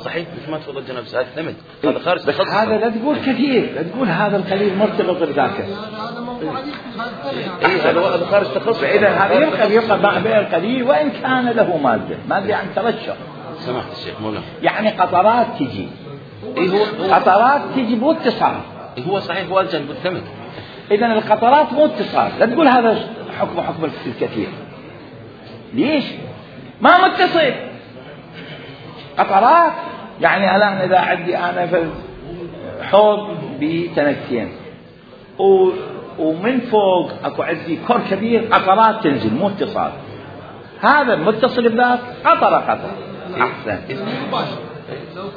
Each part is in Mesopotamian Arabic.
صحيح مثل ما تفضل جناب سعد ثمن هذا خارج بس هذا لا تقول كثير، لا تقول هذا القليل مرتبط بذاك. هذا خارج تخصص. فإذا هذا يبقى مع بيع القليل وإن كان له مادة يعني ترشح. سمحت الشيخ مولانا. يعني قطرات تجي. قطرات تجي مو اتصال. هو صحيح هو الجنب الثمن. إذا القطرات مو اتصال، لا تقول هذا حكم الكثير. ليش؟ ما متصل. قطرات يعني الآن إذا عندي أنا في حوض بتنكين ومن فوق أكو عندي كور كبير قطرات تنزل مو اتصال، هذا متصل بذاك قطرة أحسن.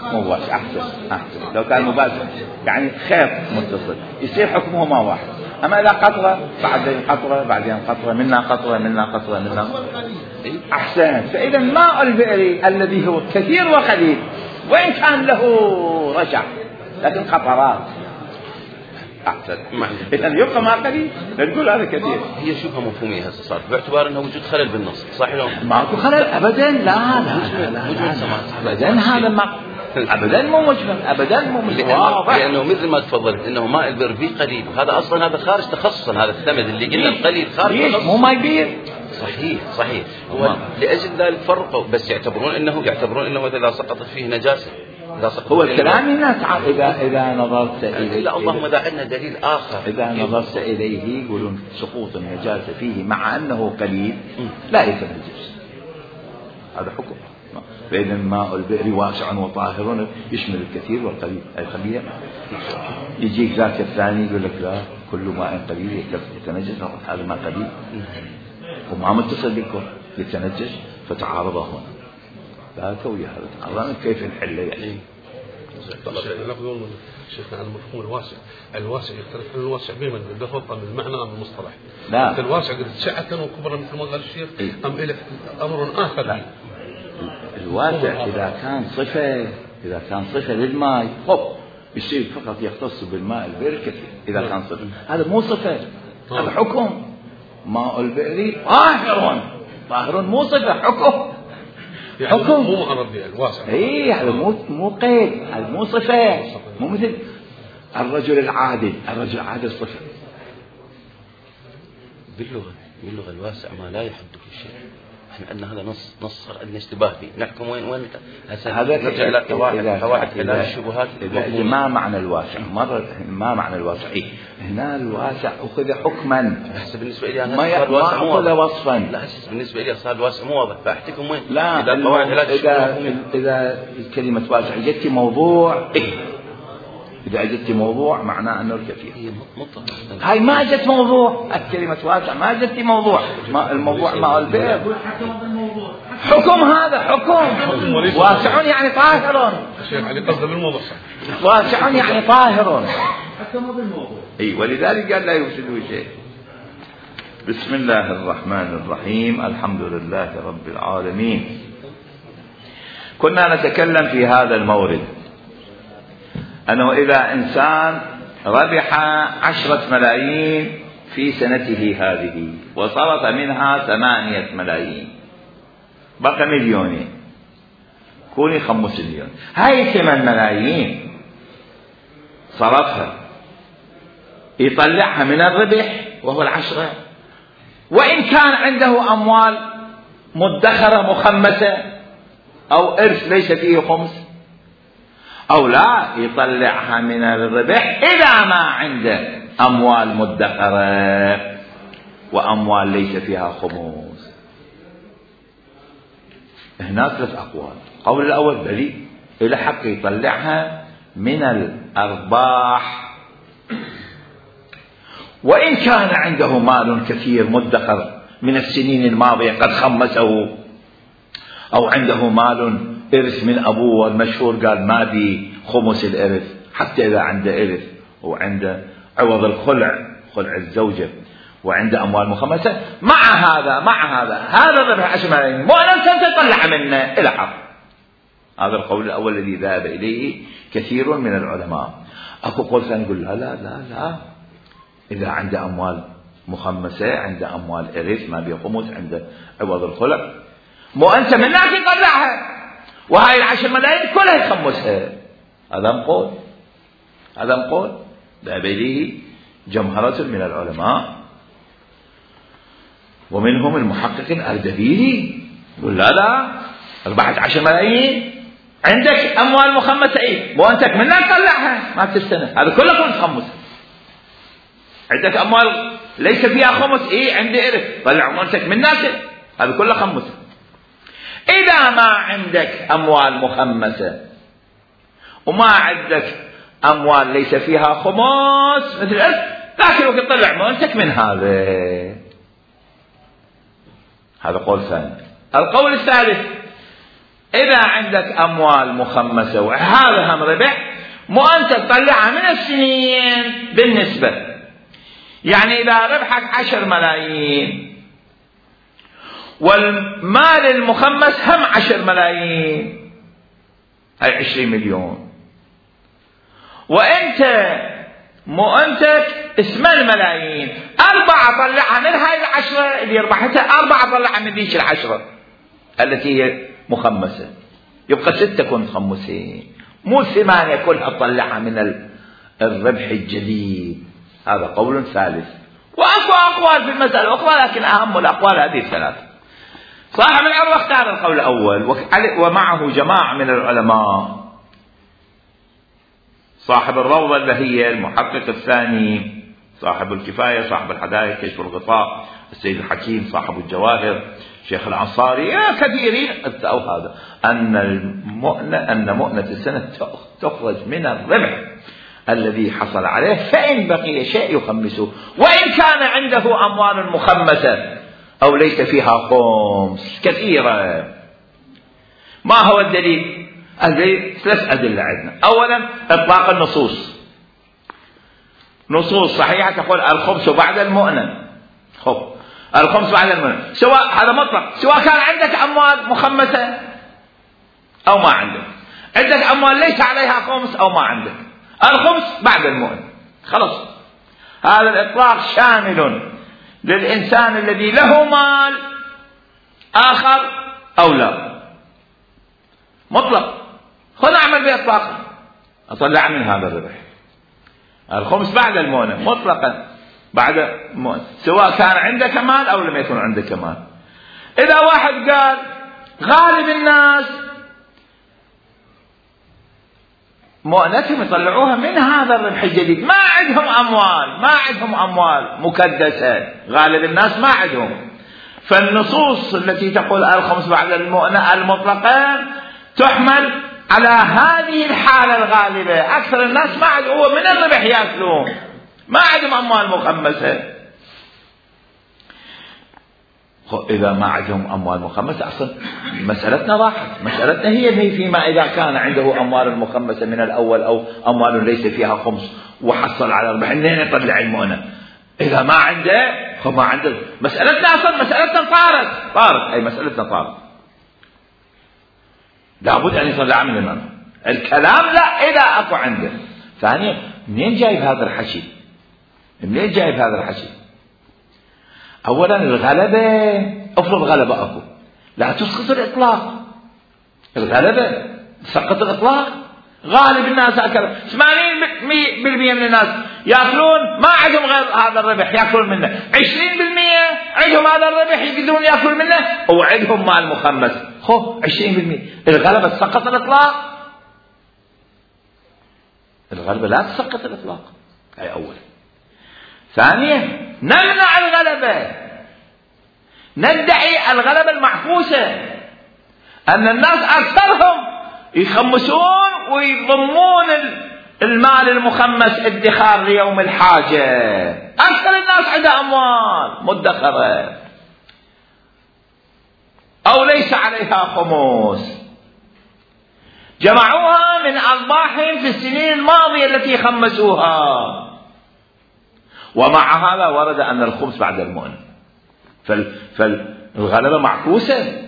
مباشر أحسن لو كان مباشر يعني خيط متصل يصير حكمهما واحد. أما إذا قطرة بعدين قطرة بعدين قطرة منا قطرة منا قطرة منا أحسن. فإذا ماء البئر الذي هو كثير وقليل وإن كان له رجع لكن قطرات أحسن. إذا يبقى ما قليل نقول هذا كثير. هي شبهة مفهومية هسه صار باعتبار أنه وجود خلل بالنص صحيح لو ماكو خلل أبدا. لا أبدا هذا ما أبدا مو مجمل أبدا مو واضح. لأنه مثل ما تفضلت إنه ماء البئر فيه قليل وهذا أصلا هذا خارج تخصصا. هذا الثمن اللي قلنا القليل خارج تخصص مو ماء بير. صحيح هو لأجل ذلك فرقوا بس يعتبرون إنه إذا سقطت فيه نجاسة هو الكلام الناس إذا نظرت إليه. لا اللهم إذا عندنا دليل آخر إذا نظرت إليه يقولون سقوط النجاسة فيه مع أنه قليل لا يتنجس. هذا حكم. فإذا ماء البئر واسع وطاهر يشمل الكثير والقليل. الخبير يجيك ذاك الثاني يقول لك لا كل ماء قليل يتنجس. هذا ماء قليل وما متصل بالكل يتنجس فتعارض هنا. لا توي هذا تعرضنا كيف نحله يعني. نقول شيخنا عن المفهوم الواسع يختلف عن الواسع بما بالضبط من المعنى أم المصطلح. لا الواسع قد سعة وكبرى مثل ما قال الشيخ أم إلى أمر آخر. لا. الواسع إذا كان صفة للماء يصير فقط يختص بالماء البئر كثير. إذا كان صفة هذا مو صفة هذا حكم. ماء البئر طاهر مو صفة حكم. يعني حكم مو عربي الواسع. هذا مو قيد. هذا مو صفة. مو مثل الرجل العادل صفة. باللغة الواسع ما لا يحد في شيء. احنا عندنا هذا نص صار عندنا اشتباه فيه. نحكم وين هذا نرجع الى قواعد الشبهات. ما معنى الواسع ما معنى الواسع هنا الواسع أخذ حكما. هسه بالنسبة لي أنا ما أخذ وصفا. لا هسه بالنسبة لي صار الواسع مو واضح فأحتكم وين. لا إذا كلمة واسع جت موضوع إذا أجدت موضوع معناه أنه الكثير. هاي ما جت موضوع. الكلمة واسع ما جت موضوع. الموضوع مع البئر حكم. هذا حكم. واسع يعني طاهر. واسع يعني طاهر. حكم بالموضوع. ولذلك قال لا يفسدوا شيء. بسم الله الرحمن الرحيم. الحمد لله رب العالمين. كنا نتكلم في هذا المورد أنه إذا إنسان ربح 10 ملايين في سنته هذه وصرف منها 8 ملايين بقى 2,000,000 كوني 5 مليون. هاي 8 ملايين صرفها يطلعها من الربح وهو 10. وإن كان عنده أموال مدخرة مخمسة أو إرث ليس فيه خمس أو لا يطلعها من الربح إذا ما عنده أموال مدخرة وأموال ليس فيها خمس. هنا 3 أقوال. القول الأول بلي إلى حق يطلعها من الأرباح وإن كان عنده مال كثير مدخر من السنين الماضية قد خمسه أو عنده مال إرث من أبوه المشهور قال ما بي خمس الإرث حتى إذا عنده إرث وعنده عوض خلع الزوجة وعنده أموال مخمسة مع هذا الربح 10 ملايين مو أنت تطلع منه إلى حق. هذا القول الأول الذي ذهب إليه كثير من العلماء. أكو قول ثاني يقول لا إذا عنده أموال مخمسة عنده أموال إرث ما بي خمس عنده عوض الخلع مو أنت منك تطلعها وهاي 10 ملايين كلها يخمسها. هذا قول ذهب إليه جمهرة من العلماء، ومنهم المحقق الأردبيلي يقول لا 14 ملايين عندك أموال مخمسة، مو أنت منها تطلعها ما السنة، هذا كله كنت تخمسها. عندك أموال ليس فيها خمس، عندي إرث، طلع أموالك من ناس، هذا كله خمسة. إذا ما عندك أموال مخمسة وما عندك أموال ليس فيها خمس مثل الإرث، لكن وقت طلع أموالك من هذا قول ثاني. القول الثالث، إذا عندك أموال مخمسة وهذا هم ربح، مو أنت تطلعها من السنين بالنسبة، يعني إذا ربحك 10 ملايين والمال المخمس هم 10 ملايين، هاي 20 مليون، وأنت مؤنتج 8 ملايين، 4 طلعها من هاي 10 اللي ربحتها، 4 طلعها من ذيك 10 التي هي مخمسة، يبقى 6 كنت خمسين، مو 8 كلها تطلعها من الربح الجديد. هذا قول ثالث. وأكو أقوال في المسألة الأخرى، لكن أهم الأقوال هذه الثلاثة. صاحب العروة اختار القول الأول، ومعه جماعة من العلماء، صاحب الروضة البهية، المحقق الثاني، صاحب الكفاية، صاحب الحدائق، كشف الغطاء، السيد الحكيم، صاحب الجواهر، شيخ الأنصاري، كثيرين أو هذا أن مؤنة السنة تخرج من الربح الذي حصل عليه، فإن بقي شيء يخمسه، وإن كان عنده أموال مخمسة أو ليس فيها خمس كثيرة. ما هو الدليل؟ الدليل 3 أدلة عندنا. أولا إطلاق النصوص، نصوص صحيحة تقول الخمس بعد المؤنة، الخمس بعد المؤنة، سواء هذا مطلق، سواء كان عندك أموال مخمسة أو ما عندك، عندك أموال ليس عليها خمس أو ما عندك، الخمس بعد المؤنة خلاص. هذا الإطلاق شامل للإنسان الذي له مال آخر أو لا، مطلق. خذ أعمل بإطلاقه، أطلع من هذا الربح الخمس بعد المؤنة مطلقا، بعد المؤنة، سواء كان عندك مال أو لم يكن عندك مال. إذا واحد قال غالب الناس مؤنتهم يطلعوها من هذا الربح الجديد، ما عندهم أموال مكدسة، غالب الناس ما عندهم، فالنصوص التي تقول الخمس بعد المؤنة المطلقة تحمل على هذه الحالة الغالبة. أكثر الناس ما عندهم، هو من الربح يأكلون، ما عندهم أموال مخمسة. إذا ما عندهم أموال مخمسة أصلا مسألتنا راحت، مسألتنا هي فيما إذا كان عنده أموال مخمسة من الأول أو أموال ليس فيها خمس وحصل على ربح، منين يطلع المؤنة؟ إذا ما عنده ما عنده، مسألتنا أصلا مسألتنا طارت، أي مسألتنا طارت، لابد أن يطلع من المؤنة. الكلام لا إذا أكو عنده. ثانيا، منين جايب هذا الحكي؟ أولا الغلبة، أفرض غلبة أكو، لا تسقط الإطلاق. الغلبة تسقط الإطلاق. غالب الناس أكل 80% من الناس يأكلون ما عندهم غير هذا الربح يأكلون منه، 20% عندهم هذا الربح يقدرون يأكلون منه، وعندهم مال مخمس 20%. الغلبة تسقط الإطلاق؟ الغلبة لا تسقط الإطلاق، هي أولا. ثانيا، نمنع الغلبة، ندعي الغلبة المعكوسة، أن الناس أكثرهم يخمسون ويضمون المال المخمس ادخار ليوم الحاجة. أكثر الناس عندها أموال مدخرة أو ليس عليها خمس، جمعوها من أرباحهم في السنين الماضية التي خمسوها، ومع هذا ورد أن الخمس بعد المؤنة. فالغلبة معكوسة.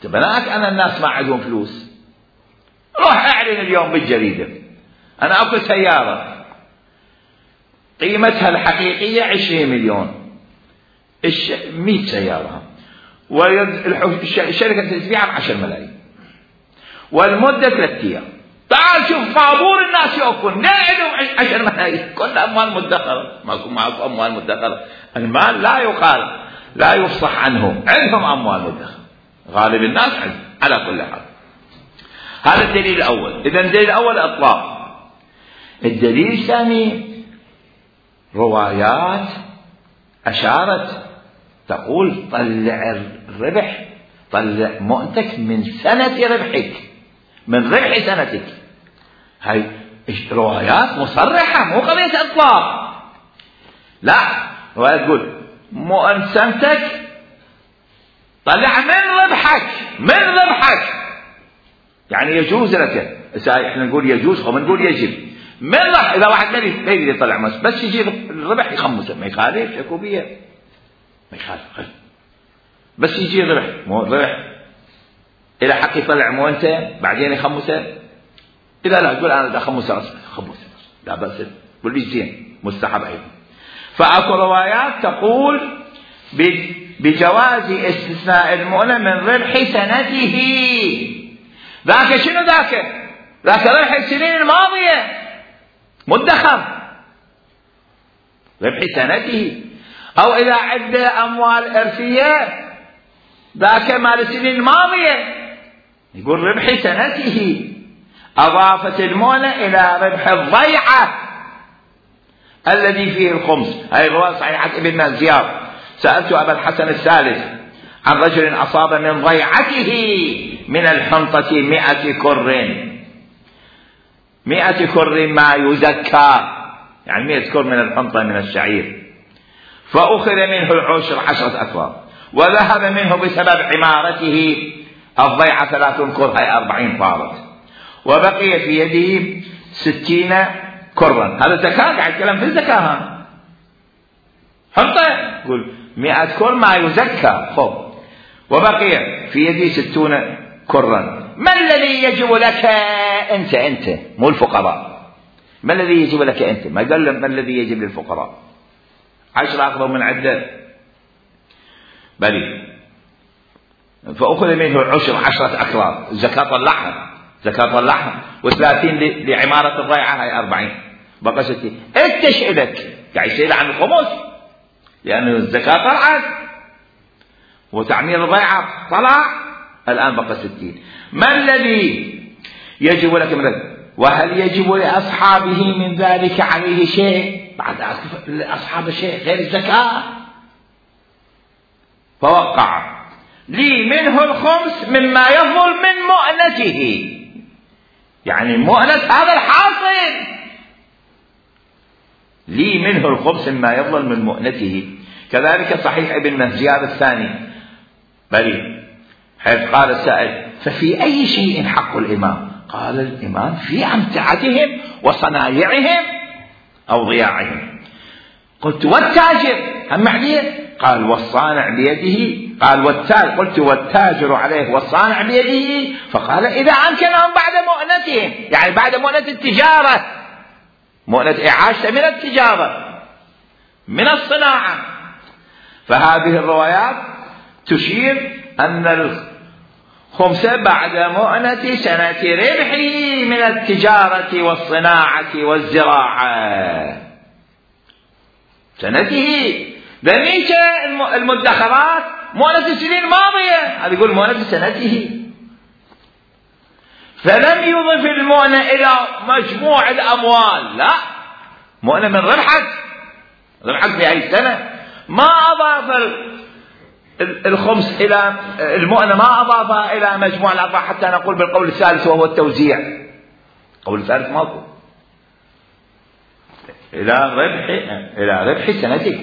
تبناك أن الناس ما عندهم فلوس، روح أعلن اليوم بالجريدة أنا أكو سيارة قيمتها الحقيقية 20 مليون، 100 سيارة، والشركة تبيعها ب10 ملايين، والمدة 3 أيام. تعال شوف طابور الناس يوقفون، لا عندهم 10 ملايين، كل أموال مدخرة، معكم أموال مدخرة. المال لا يقال، لا يفصح عنه، عندهم أموال مدخرة، غالب الناس عندهم على كل حال. هذا الدليل الأول. إذا الدليل الأول إطلاق. الدليل الثاني روايات أشارت تقول طلع الربح، طلع مؤنتك من سنة ربحك، من ربح سنتك. هاي روايات مصرحة، مو قضية إطلاق. لا، رواية تقول مؤن سنتك طلع من ربحك، من ربحك، يعني يجوز لك. احنا نقول يجوز أو نقول يجب. من ربح، إذا واحد ما يريد يطلع بس يجي الربح يخمسه، ما يخالف، شكو بيه ما يخالف، بس يجي الربح، مو الربح إلى حق يطلع مؤنته بعدين يخمسه. إذا لا تقول أنا بدي أخمسه، خمسه لا بأس، قول لي زين، مستحب أيضا. فأكو روايات تقول بجواز استثناء المؤنة من ربح سنته. ذاك شنو ذاك؟ ذاك ربح السنين الماضية مدخر، ربح سنته. أو إذا عنده أموال إرثية ذاك مال السنين الماضية، يقول ربح سنته. أضافت المؤنة إلى ربح الضيعة الذي فيه الخمس. هذه الرواية صحيحة ابن مازيار. سألت أبا الحسن الثالث عن رجل أصاب من ضيعته من الحنطة 100 كر، 100 كر ما يزكى، يعني 100 كر من الحنطة من الشعير، فأخذ منه العشر 10 أكواب، وذهب منه بسبب عمارته الضيعة 3 كر، هي 40 طارت، وبقي في يده 60 كرا. هذا زكاة، قاعد يتكلم في الزكاة. حنطة يقول 100 كر ما يزكى، خب، وبقي في يدي 60 كرا. ما الذي يجب لك أنت مو الفقراء، ما الذي يجب لك أنت؟ ما قال ما الذي يجب للفقراء. 10 أخذوا من عدة بلي، فأخذ منه العشر 10 أكراد، الزكاة طلعها، زكاة طلعها، و30 لعمارة الضيعة، هاي 40، بقى 60. انت شئلك قاعد يسأل عن الخمس، لأن الزكاة طلعت وتعمير الضيعة طلع، الآن بقى 60. ما الذي يجب لك من ذلك؟ وهل يجب لأصحابه من ذلك عليه شيء؟ بعد أصحاب شيء غير الزكاة. فوقع لي منه الخمس مما يفضل من مؤنته، يعني مؤنة هذا الحاصل، لي منه الخمس مما يفضل من مؤنته. كذلك صحيح ابن مهزيار الثاني بلي، حيث قال السائل ففي أي شيء حق الإمام؟ قال الإمام في أمتعتهم وصنايعهم أو ضياعهم. قلت والتاجر هم عليه؟ قال والصانع بيده. قال والتاجر، قلت والتاجر عليه والصانع بيده. فقال إذا أمكنهم بعد مؤنتهم، يعني بعد مؤنة التجارة، مؤنة إعاشة من التجارة من الصناعة. فهذه الروايات تشير أن الخمس بعد مؤنة سنة ربحه من التجارة والصناعة والزراعة، سنته. ذلك المدخرات مؤنة السنين الماضية، هذا يقول مؤنة سنته. فلم يضف المؤنة إلى مجموع الأموال، لا، مؤنة من ربحك في أي سنة. ما أضاف الخمس إلى المؤنة، ما أضافها إلى مجموع الأرباح حتى نقول بالقول الثالث وهو التوزيع. القول الثالث ماكو، إلى ربح سنتك.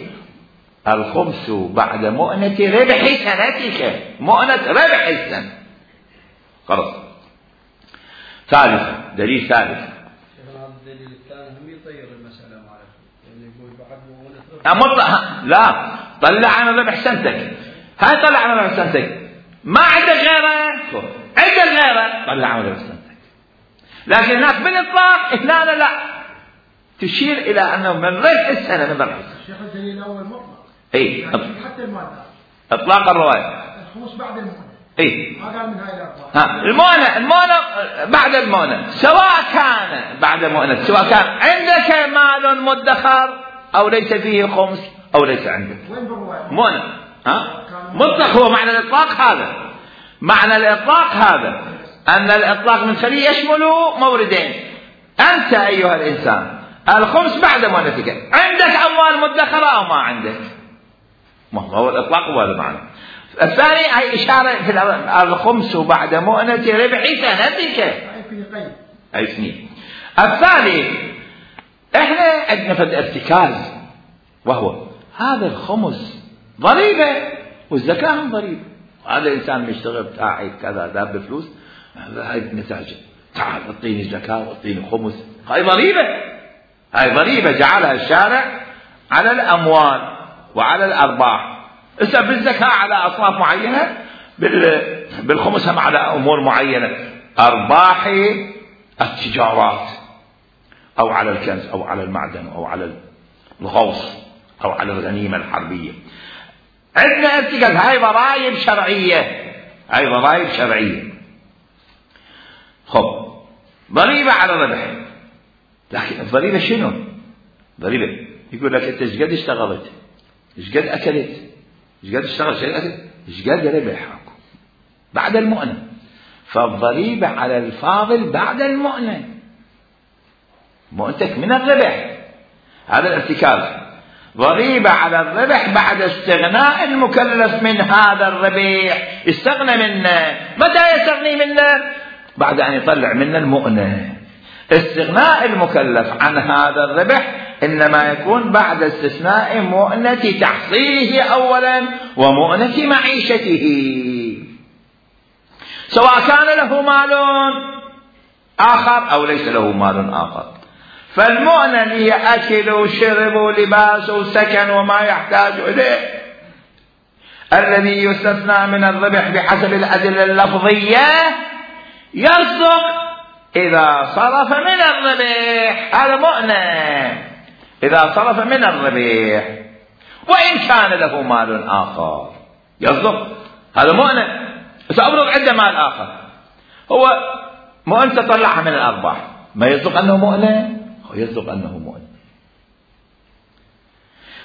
الخمس بعد مؤنة ربح سنتك، مؤنة ربح السنة. خلاص. ثالثا، دليل ثالث. الدليل الثاني هم يطير المسألة معرفة، يعني يقول بعد مؤنة ربح. لا، طلع عن ربح سنتك، هاي طلع عن ربح سنتك، ما عندك غيره، عندك غيره، طلع عن ربح سنتك. لكن هناك بالإطلاق هنا لا، تشير إلى أنه من ربح السنة، من ربح السنة. شيخ الدليل الأول مطلق، إيه، يعني حتى المادة إطلاق الرواية. الخمس بعد المؤنة. اي ما قال من هاي الأرباح. المؤنة بعد المؤنة، سواء كان بعد المؤنة، سواء كان عندك مال مدخر أو ليس فيه خمس أو ليس عندك مؤنة. مطلق هو معنى الإطلاق هذا. معنى الإطلاق هذا أن الإطلاق من خليه يشمل موردين. أنت أيها الإنسان الخمس بعد مؤنتك، عندك أموال مدخرة أو ما عندك؟ ما هو الإطلاق هو هذا معنى. الثاني هي إشارة في الخمس بعد مؤنة ربح سنتك أي سنين. الثالث إحنا عندنا فد ارتكاز، وهو هذا الخمس ضريبة والزكاة هم ضريبة. هذا الإنسان مشتغل بتاعي كذا داب بفلوس، هاي نتاجه، تعال اعطيني زكاة واعطيني خمس، هاي ضريبة. هاي ضريبة جعلها الشارع على الأموال وعلى الأرباح. إذا بالزكاة على أصناف معينة، بالخمس هم على أمور معينة، أرباح التجارات أو على الكنز أو على المعدن أو على الغوص أو على الغنيمة الحربية. عندنا ارتكاز، هاي ضرائب شرعية، هاي ضرائب شرعية. خب ضريبة على الربح، لكن الضريبة شنو؟ ضريبة يقول لك أنت إيش قد اشتغلت؟ إيش قد أكلت؟ إيش قد اشتغلت؟ إيش قد ربحك بعد المؤنة؟ فالضريبة على الفاضل بعد المؤنة، مؤنتك من الربح، هذا الارتكاز. ضريبة على الربح بعد استغناء المكلف من هذا الربح. استغنى منه، متى يستغني منه؟ بعد أن يطلع منه المؤنة. استغناء المكلف عن هذا الربح إنما يكون بعد استثناء مؤنة تحصيله أولا ومؤنة معيشته، سواء كان له مال آخر أو ليس له مال آخر. فالمؤنة هي أكل وشرب ولباس وسكن وما يحتاج إليه، الذي يستثنى من الربح بحسب الأدلة اللفظية يصدق إذا صرف من الربح، هذا مؤنة إذا صرف من الربح، وإن كان له مال آخر يصدق، هذا مؤنة. سأفرض عنده مال آخر، هو مؤنة طلعها من الأرباح، ما يصدق أنه مؤنة؟ هو يصدق أنه مؤنة.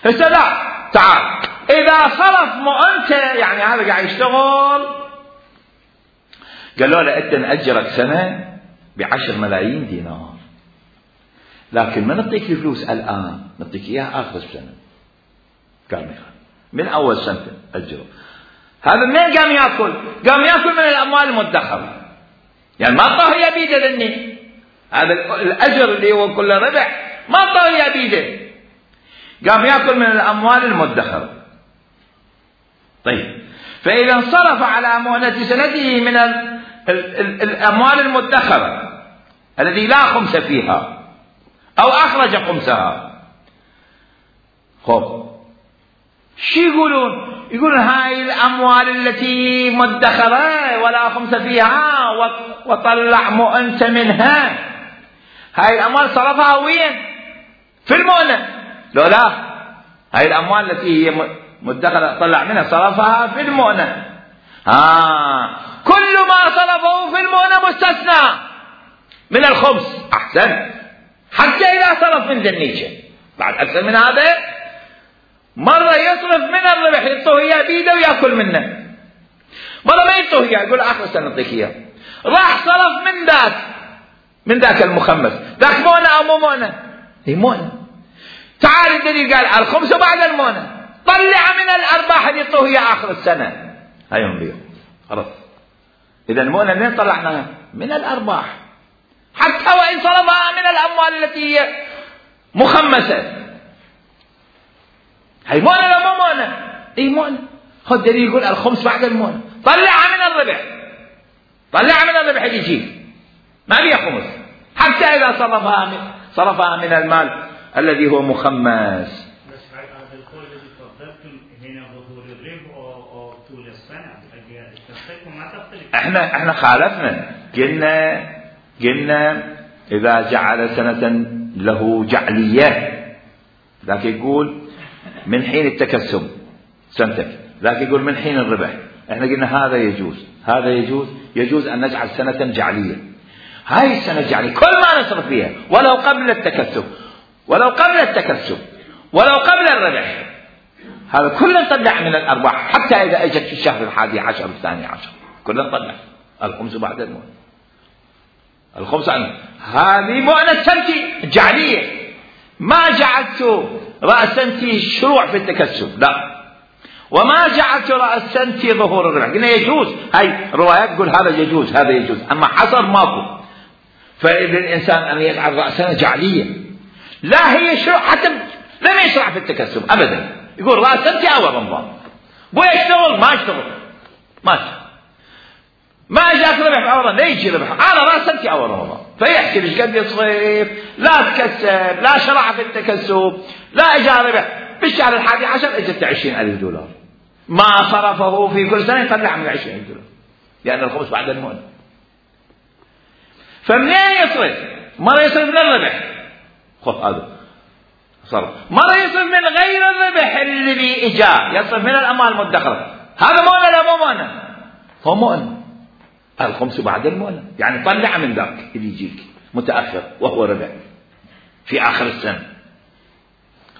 فسلا تعال إذا صرف مؤنته، يعني هذا قاعد يشتغل، قالوا له أنت نأجرك سنة ب10 ملايين دينار، لكن ما نعطيك الفلوس الآن، نعطيك إياها آخر السنة. قال من أول سنة أجره. هذا منين قام يأكل؟ قام يأكل من الأموال المدخرة، يعني ما طاه يبيده ذني، هذا الأجر اللي هو كل ربح ما طاه يبيده، قام يأكل من الأموال المدخرة. طيب فإذا انصرف على مؤنة سنته من الأموال المدخرة الذي لا خمس فيها أو أخرج خمسها، خب شو يقولون؟ يقولون هاي الأموال التي مدخرة ولا خمس فيها وطلع مؤنة منها، هاي الأموال صرفها وين؟ في المؤنة. لا هاي الأموال التي هي مدخرة طلع منها صرفها في المؤنة. كل ما صرفه في المؤنة مستثنى من الخمس. أحسن، حتى إذا صرف من ذنيشة بعد أكثر من هذا، مرة يصرف من الربح يعطوه إياه بيده ويأكل منه، مرة ما يعطوه إياه يقول آخر سنة نعطيك إياه. راح صرف من ذاك المخمس، ذاك مؤنة أو مو مؤنة؟ هي مؤنة. تعال الدليل قال الخمس بعد المؤنة، طلع من الأرباح اللي يعطوه إياه آخر السنة، هايهم بيهم خلاص. إذا المؤنة منين طلعناها؟ من الأرباح، حتى وإن صرفها من الأموال التي هي مخمسة. هي مؤنة ولا مو مؤنة؟ اي مؤنة. خذ دليل يقول الخمس بعد المؤنة، طلعها من الربح، طلعها من الربح اللي يجي ما بيها خمس، حتى إذا صرفها من المال الذي هو مخمس. بس هذا القول الذي تفضلتم هنا ظهور الربح أو طول السنة، تختلفوا ما تختلف. احنا خالفنا، قلنا إذا جعل سنة له جعلية، ذاك يقول من حين التكسب سنتك، ذاك يقول من حين الربح، احنا قلنا هذا يجوز، هذا يجوز أن نجعل سنة جعلية. هاي السنة الجعلية كل ما نصرف فيها ولو قبل التكسب ولو قبل الربح، هذا كله نطلع من الأرباح، حتى إذا أجت في الشهر 11 12 كله نطلع الخمس بعد المؤنة. الخمس هذه مؤنة سنتي جعلية، ما جعلت رأس سنتي شروع في التكسب، لا، وما جعلت رأس سنتي ظهور الربح. قلنا يجوز، هاي روايات تقول هذا يجوز هذا يجوز، أما حصر ماكو. فإذا الإنسان أن يجعل رأسنا جعلية لا هي شروع، حتى لم يشرع في التكسب أبدا، يقول رأس سنتي أول رمضان، بو يشتغل ما اشتغل ما جاءت ربح في أول رمضان، لا يجي ربح، أنا رأس سنتي أول رمضان، فيحسب ايش قد يصرف، لا تكسب، لا شرع في التكسب، لا اجى ربح. بالشهر 11 اجت $20,000، ما صرفه في كل سنة يطلع من $20,000، لأن الخمس بعد المؤنة. فمنين يصرف؟ مرة يصرف من الربح، خذ هذا صرف، مرة يصرف من غير الربح الذي اجى، يصرف من الأموال المدخرة. هذا مؤنة لا مو مؤنة؟ هو مؤنة. الخمس بعد المؤنة، يعني طلع من ذاك اللي يجيك متأخر وهو ربح في آخر السنة.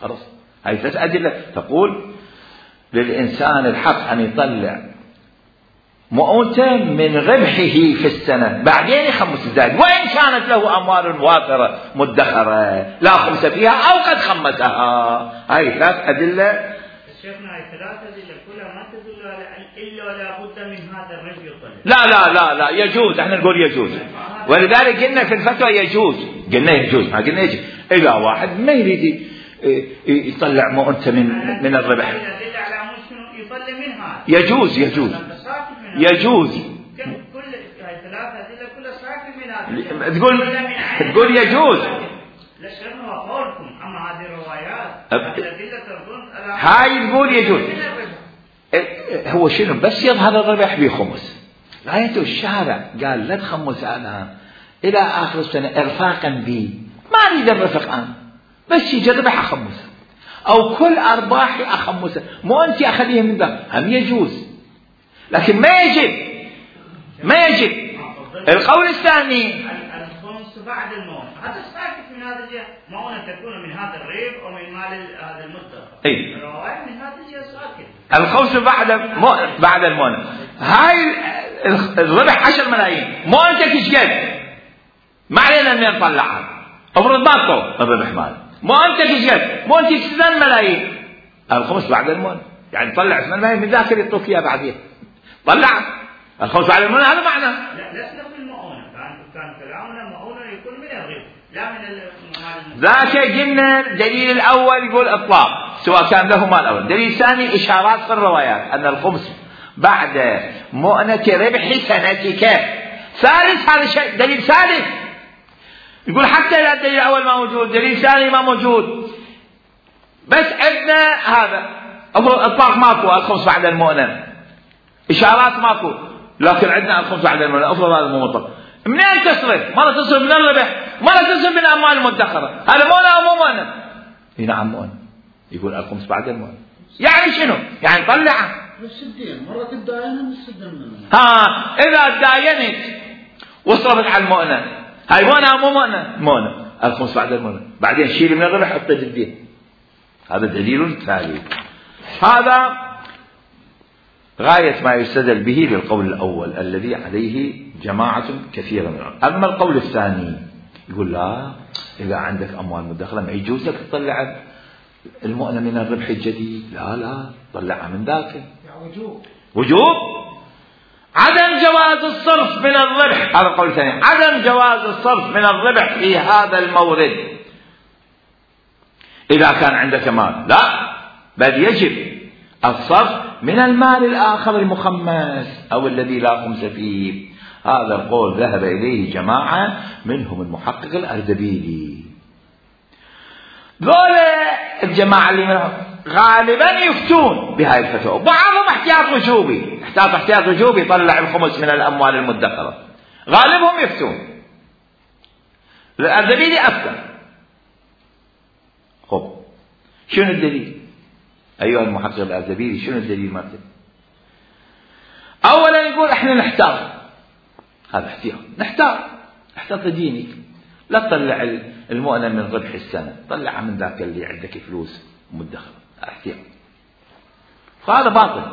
خلاص، هاي 3 أدلة تقول للإنسان الحق أن يطلع مؤونته من ربحه في السنة، بعدين يخمس الزائد، وإن كانت له أموال وافرة مدخرة لا خمس فيها أو قد خمسها. هاي 3 أدلة. شيخنا هاي 3 أدلة كلها ما تدل إلا ولا بد من هذا الربح يطلع. لا لا لا لا يجوز، احنا نقول يجوز، ولذلك قلنا في الفتوى يجوز، قلنا يجوز، ما قلنا يجوز. إذا واحد ما يريد يطلع مؤونته من الربح يجوز يجوز كل هاي 3 أدلة كلها ساكن من هذا. تقول يجوز. لا شيخنا قولكم، أما هذه الروايات الأدلة تردون هاي تقول يجوز. هو شنو بس يظهر الربح بخمس، غايته الشارع قال لا تخمس الآن إلى آخر السنة إرفاقا بي، ما أريد الرفق أنا، بس يجي الربح أخمسه أو كل أرباحي أخمسه، مو أنت أخذيه من ذا، هم يجوز، لكن ما يجب. القول الثاني الخمس بعد الموت، هذا ساكت من هذا الجهة، مؤونة تكون من هذا الريب ومن مال هذا المدخر. الرواية من هذا الجهة ساكت. الخمس بعد المؤونة. هاي الربح 10 ملايين، مؤونتك ايش قد؟ ما علينا ان نطلعها، افرض ما طلع الربح مال، مؤونتك ايش قد؟ مؤونتك 8 ملايين، الخمس بعد المؤونة، يعني طلع 8 ملايين من ذاك اللي يعطوك اياه بعدين، طلع الخمس بعد المؤونة. هذا معنى لا لسنا في المؤونة، كان كلامنا المؤونة يكون من الربح لا من ذاك. قلنا الدليل الأول يقول إطلاق سواء كان له مال أول، الدليل الثاني إشارات في الروايات أن الخمس بعد مؤنة ربح سنتك. ثالث هذا شيء دليل ثالث يقول حتى إذا الدليل الأول ما موجود دليل ثاني ما موجود، بس عندنا هذا إطلاق ماكو، الخمس بعد المؤنة، إشارات ماكو، لكن عندنا الخمس بعد المؤنة. أفضل هذا مو مطلق. منين تصرف؟ مرة تصرف من الربح، مرة تصرف من الأموال المدخرة، هذا مؤنة أو مو مؤنة؟ نعم مؤنة. يقول الخمس بعد المؤنة، يعني شنو؟ يعني طلعها بالسدين، مرة تداين بالسدين. إذا تداينت وصرفت على المؤنة، هاي مؤنة أو مو مؤنة؟ مؤنة. الخمس بعد المؤنة، بعدين شيل من الربح حط جدين. هذا دليل ثالث. هذا غاية ما يستدل به للقول الأول الذي عليه جماعة كثيرة من العلماء. أما القول الثاني يقول لا، إذا عندك أموال مدخرة ما يجوز لك تطلع المؤنة من الربح الجديد، لا طلعها من ذاك. وجوب عدم جواز الصرف من الربح، هذا القول الثاني، عدم جواز الصرف من الربح في هذا المورد إذا كان عندك مال، لا، بل يجب الصرف من المال الآخر المخمس أو الذي لا خمس فيه. هذا القول ذهب إليه جماعة منهم المحقق الأردبيلي. ذولا الجماعة اللي منهم غالبا يفتون بهاي الفتوى، بعضهم احتياط وجوبي يطلع الخمس من الأموال المدخرة، غالبهم يفتون. الأردبيلي أفتى. خب شنو الدليل أيها المحقق الأردبيلي؟ شنو الدليل مالته؟ يقول احنا نحتاط، هذا احتياط، احتاط دينك، لا تطلع المؤنة من ربح السنة، طلعها من ذاك اللي عندك فلوس مدخرة، احتياط. فهذا باطل.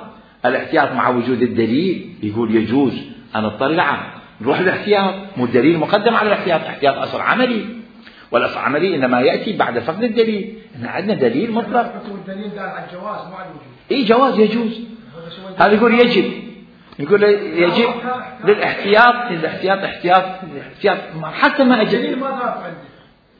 الاحتياط مع وجود الدليل يقول يجوز أن اطلعه، نروح الاحتياط، مو الدليل مقدم على الاحتياط، احتياط أصل عملي، والأصل العملي إنما يأتي بعد فقد الدليل. إحنا عندنا دليل مطلق. الدليل قال على الجواز مو على الوجوب. إيه جواز يجوز. هذا يقول يجب، يقول يجب للاحتياط، احتياط حتى ما أجل. الدليل ما ضاف عندي،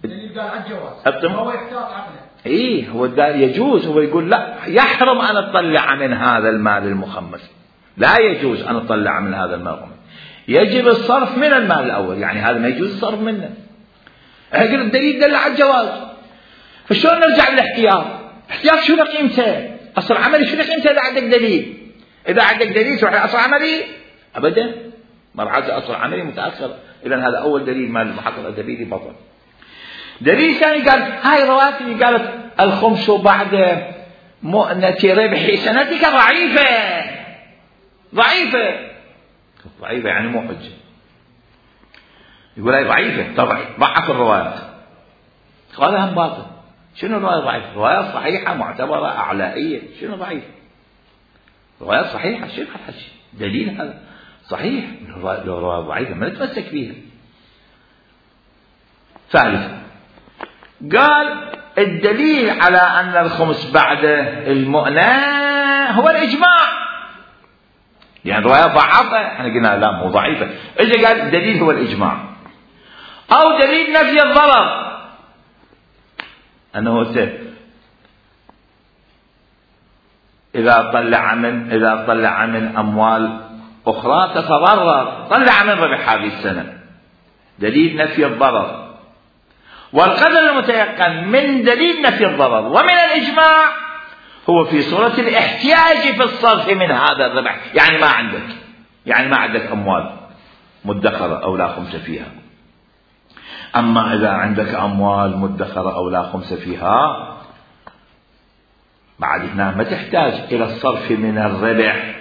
الدليل قال على الجواز، هو يحتاط عقله. إيه هو يجوز، هو يقول لا يحرم أن أطلع من هذا المال المخمس، لا يجوز أن أطلع من هذا المال المخمس، يجب الصرف من المال الأول، يعني هذا ما يجوز الصرف منه. يقول الدليل دل على الجواز، فشلون نرجع للاحتياط؟ احتياط شنو قيمته؟ أصل عملي شنو قيمته إذا عندك دليل؟ إذا عندك دليل تروح لأصل عملي؟ أبدا، مرحلة أصل عملي متأخر، إذا هذا أول دليل مال المحقق الأدبي بطل. دليل ثاني قال هاي رواتب قالت الخمس بعد مؤنة ربح سنتك ضعيفة يعني مو حجة. يقول هاي ضعيفة، طبعا ضعف الروايات، هذا هم باطل. شنو الرواية ضعيفة؟ روايات صحيحة معتبرة أعلائية، شنو ضعيفة؟ روايات صحيحة، شنو الحج؟ دليل هذا صحيح، لو رواية ضعيفة ما نتمسك فيها. ثالثا قال الدليل على أن الخمس بعد المؤنة هو الإجماع، يعني رواية ضعيفة احنا قلنا لا مو ضعيفة، إذا قال الدليل هو الإجماع، أو دليل نفي الضرر، أنه إذا طلع من أموال أخرى تتضرر، طلع من ربح هذه السنة، دليل نفي الضرر. والقدر المتيقن من دليل نفي الضرر ومن الإجماع هو في صورة الاحتياج في الصرف من هذا الربح، يعني ما عندك أموال مدخرة أو لا خمس فيها. أما إذا عندك أموال مدخرة أو لا خمس فيها بعد هنا ما تحتاج إلى الصرف من الربح،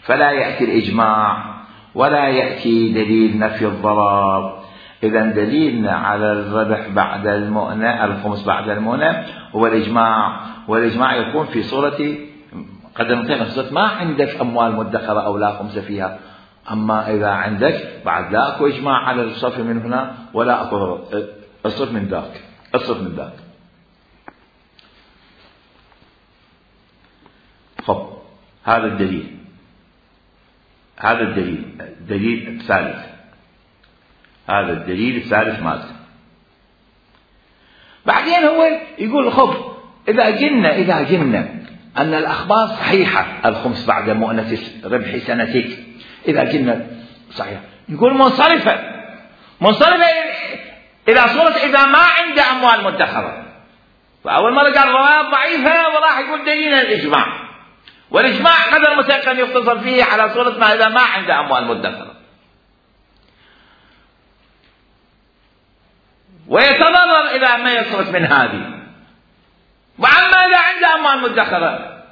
فلا يأتي الإجماع ولا يأتي دليل نفي الضرر. إذا دليلنا على الربح بعد المؤنة، الخمس بعد المؤنة، هو الإجماع، والإجماع يكون في صورة قدمتين، صورة ما عندك أموال مدخرة أو لا خمس فيها. أما إذا عندك بعد لا أكو إجماع على الصرف من هنا ولا أكو الصرف من ذاك. خب هذا الدليل، الدليل الثالث ماذا؟ بعدين هو يقول خب إذا قلنا أن الأخبار صحيحة، الخمس بعد مؤنة ربح سنتك، إذا قلنا صحيح، يقول منصرفة إلى صورة إذا ما عنده أموال مدخرة. فأول مرة قال روايات ضعيفة وراح يقول دليل الإجماع، والإجماع قدر متيقن يختصر فيه على صورة ما إذا ما عنده أموال مدخرة، ويتضرر إذا ما يصرف من هذه. وعما إذا عنده أموال مدخرة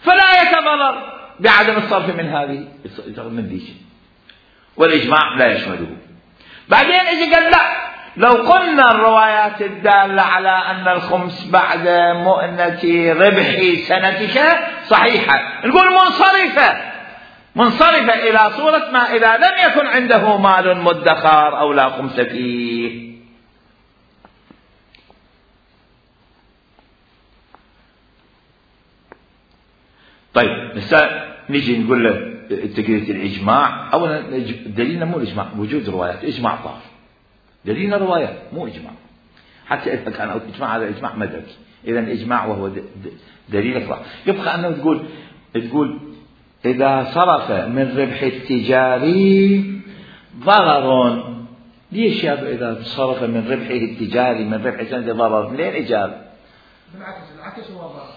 فلا يتضرر بعدم الصرف من هذه، من ذيك، والإجماع لا يشمله. بعدين إذا قال لا، لو قلنا الروايات الدالة على أن الخمس بعد مؤنة ربح سنتك صحيحة، نقول منصرفة إلى صورة ما إذا لم يكن عنده مال مدخر أو لا خمس فيه. طيب نجي نقول له تقرية الإجماع. أولا دليلنا مو الإجماع، وجود روايات، إجماع طاف، دليلنا روايات مو إجماع. حتى إذا كان إجماع هذا إجماع مدرك، إذا إجماع وهو دليل ضعف. يبقى أنه تقول إذا صرف من ربح التجاري ضرر. ليش يا إذا صرف من ربحه التجاري من ربح سنة ضرر؟ منين إجاب؟ بالعكس هو ضرر.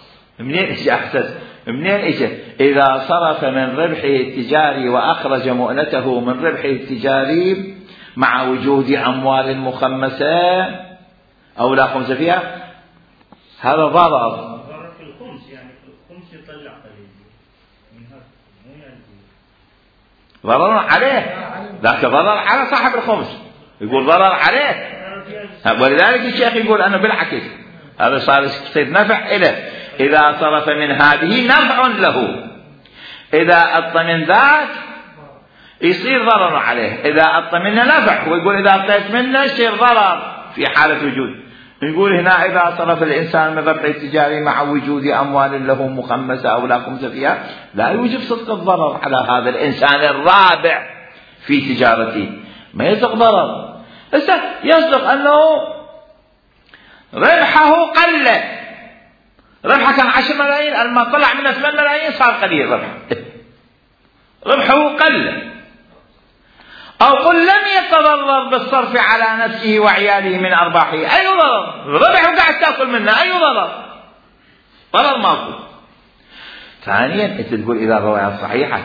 منين إجا؟ إذا صرف من ربحه التجاري وأخرج مؤنته من ربحه التجاري مع وجود أموال مخمسة أو لا خمس فيها، هذا ضرر. ضرر في الخمس، يعني في الخمس يطلع قليل من هذا، مو يعني ضرر عليه، ذاك ضرر على صاحب الخمس، يقول ضرر عليه. ولذلك الشيخ يقول أنه بالعكس هذا صار يصير نفع إله إذا صرف من هذه نفع له، إذا أعطى من ذاك يصير ضرر عليه، إذا أعطى منه نفع. ويقول إذا أعطيت منه يصير ضرر في حالة وجود. نقول هنا إذا صرف الإنسان من ربح التجاري مع وجود أموال له مخمسة أو لا خمس فيها لا يوجب صدق الضرر على هذا الإنسان الرابع في تجارته، ما يصدق ضرر. يصدق أنه ربحه قل، ربحه كان 10 ملايين، لما طلع منه 8 ملايين صار قليل ربحه قل. أو قل لم يتضرر بالصرف على نفسه وعياله من أرباحه، أي ضرر؟ ربحه قاعد تأكل منه، أي ضرر ماكو. ثانيا أنت تقول إذا الروايات صحيحة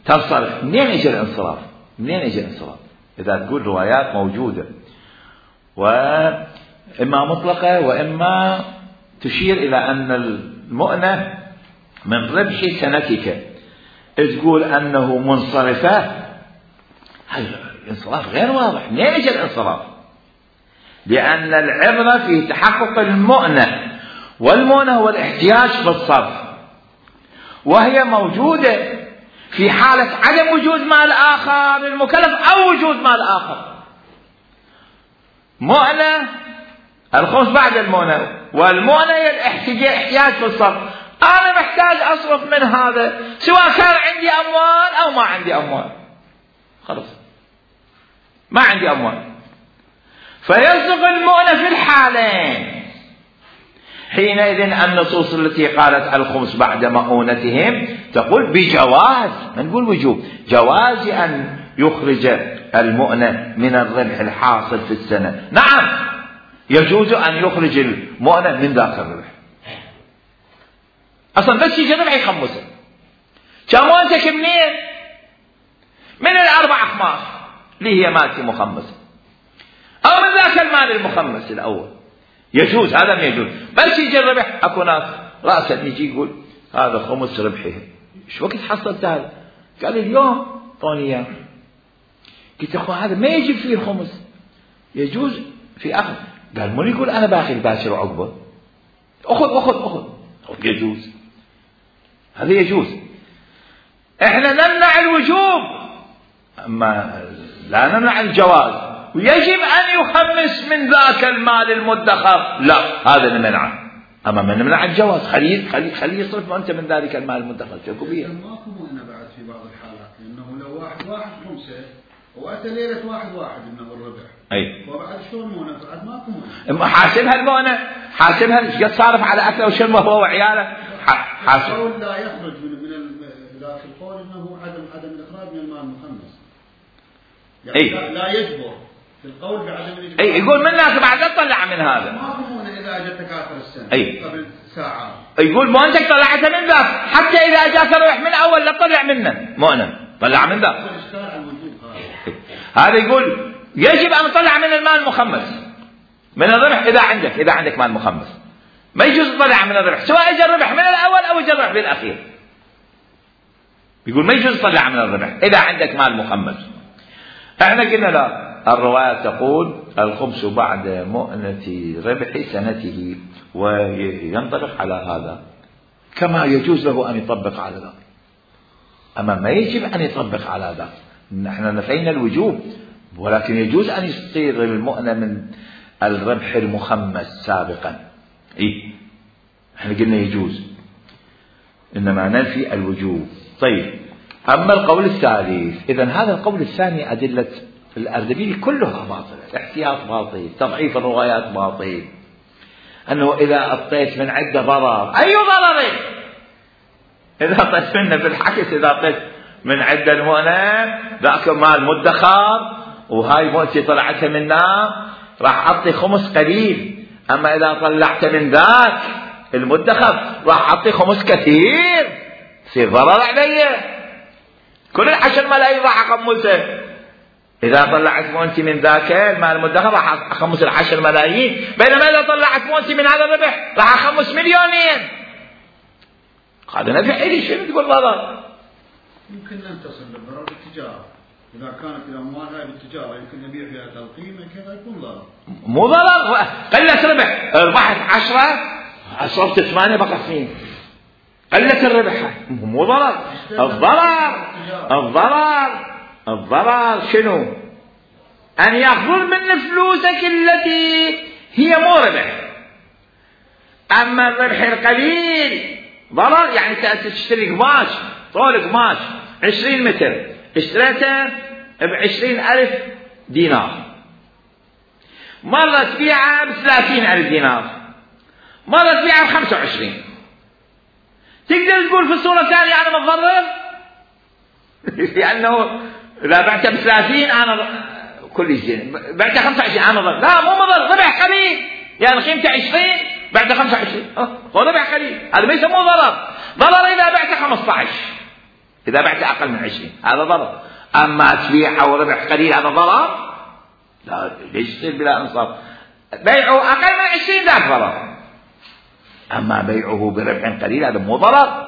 تصرف، منين يجي الانصراف؟ إذا تقول روايات موجودة وإما مطلقة وإما تشير إلى أن المؤنة من ربح سنتك، تقول أنه منصرفة، هذا الانصراف غير واضح. منين يجي الانصراف؟ لأن العبرة في تحقق المؤنة، والمؤنة هو الاحتياج في الصرف، وهي موجودة في حالة عدم وجود مال آخر للمكلف أو وجود مال آخر. مؤنة الخمس بعد المؤنة، والمؤنة هي الاحتياج في الصرف. أنا محتاج أصرف من هذا سواء كان عندي أموال أو ما عندي أموال، خلاص ما عندي أموال، فيصدق المؤنة في الحالين. حينئذ النصوص التي قالت الخمس بعد مؤونتهم تقول بجواز، ما نقول وجوب، جواز أن يخرج المؤنة من الربح الحاصل في السنة. نعم يجوز أن يخرج المؤنة من ذاك الربح، أصلا بس يجي الربح يخمسه. كمؤنتك منين؟ من 4 أخماس اللي هي مالتي مخمسة، أو من ذاك المال المخمس الأول، يجوز. هذا ما يجوز. بس يجي الربح، أكو ناس رأسا يجي يقول هذا خمس ربحه، شو وقت حصلت هذا؟ قال اليوم طوني إياه. قلت أخوان هذا ما يجب فيه الخمس، يجوز في أخذ. قال من يقول أنا باخذ باشر وعقبه، أخذ يجوز، هذا يجوز. إحنا نمنع الوجوب أما لا نمنع الجواز، ويجب أن يخمس من ذاك المال المدخر، لا هذا نمنعه. أما من نمنع الجواز، خليه يصرف أنت من ذلك المال المدخر. شوفوا بيه ماكو مؤنة بعد في بعض الحالات، لأنه لو واحد خمسة وأتى ليلة واحد إنه الربح، أي وبعد شلون مؤنة؟ بعد ماكو مؤنة. حاسبها المؤنة، حاسبها ايش قد صارف على أكله وشربه هو وعياله. حاسب. القول لا يخرج من لا في القول إنه عدم الإخراج من المال المخمس، يعني لا يجبر في القول بعدم الإجبار. أي يقول منك بعد تطلع من هذا. ماكو مؤنة إذا أجتك آخر السنة قبل ساعات. يقول مؤنتك طلعتها من ذاك، حتى إذا أجاك الربح من أول لا تطلع منه مؤنة، طلع من ذاك. هذا يقول يجب أن تطلع من المال المخمس من الربح إذا عندك مال مخمس، ما يجوز تطلع من الربح سواء اجى الربح من الأول أو اجى الربح بالأخير. يقول ما يجوز تطلع من الربح إذا عندك مال مخمس. احنا قلنا لا، الرواية تقول الخمس بعد مؤنة ربح سنته، وينطبق على هذا كما يجوز له أن يطبق على ذلك، أما ما يجب أن يطبق على ذلك. نحن نفينا الوجوب، ولكن يجوز أن يصير المؤنة من الربح المخمس سابقا. احنا قلنا يجوز، إنما ننفي الوجوب. طيب أما القول الثالث، إذن هذا القول الثاني أدلة الأردبيلي كلها باطلة، الاحتياط باطل، تضعيف الروايات باطل، أنه إذا أعطيت من عدة ضرر، أي ضرر؟ إذا أعطيت منه بالحكس، إذا أعطيت من عدة المؤنة ذاك مال مدخر وهاي مؤتي طلعتها من نار راح أعطي خمس قليل، أما إذا طلعت من ذاك المدخر راح أعطي خمس كثير، يصير ضرر علي، كل 10 ملايين راح أخمسه. إذا طلعت مؤنتي من ذاك المال المدخر راح أخمس 10 ملايين، بينما إذا طلعت مؤنتي من هذا الربح راح أخمس 2 مليون. هذا نفع إلي، شنو تقول ضرر؟ يمكن أن تصل للضرر بالتجارة. إذا كانت الأموال هاي بالتجارة يمكن نبيع فيها تلقيم كذا يكون ضرر. مو ضرر، قلت ربح، ربحت 10 صرت 8 بقى 2، قلت الربح، مو ضرر. الضرر شنو؟ أن يأخذون من فلوسك التي هي مو ربح. أما الربح القليل ضرر، يعني تشتري قماش، طول قماش 20 متر اشتريته ب20,000 دينار، مرة تبيعها ب30,000 دينار، مرة تبيعها ب25. تقدر تقول في الصورة الثانية أنا متضرر؟ لأنه إذا بعتها ب30 أنا كل شيء، بعتها 25 أنا ضرر. لا مو مضر، ربح قليل، يعني قيمته 20 بعتها 25 هو ربح قليل، هذا ما يسموه ضرر. ضرر إذا بعتها 15، إذا بعتها أقل من 20 هذا ضرر. أما تبيع أو ربح قليل هذا ضرر؟ لا، ليش يصير بلا إنصاف؟ بيعه أقل من 20 ذاك ضرر، أما بيعه بربح قليل هذا مو ضرر.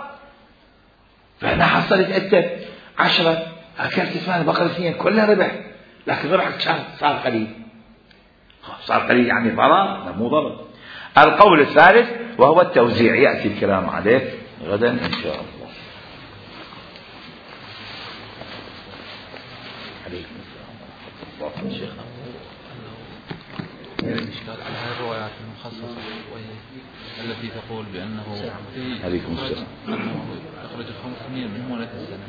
فأنا حصلت أنت 10 أكلت 8 بقر 2 كلها ربح، لكن ربحك صار قليل، صار قليل يعني ضرر؟ لا مو ضرر. القول الثالث وهو التوزيع، يأتي الكلام عليه غدا إن شاء الله. عليكم السلام. شيخنا الإشكال على هذه الروايات المخصصة التي تقول بأنه يخرج 500 من مؤنة السنة.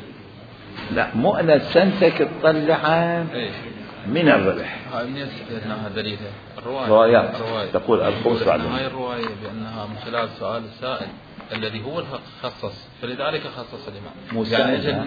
لا، مؤنة سنتك تطلعها من الربح. هاي من يستثناها دليلها روايات تقول الخمس بعد هاي الرواية بأنها من خلال سؤال السائل الذي هو الخصص، فلذلك خصص الإمام. يعني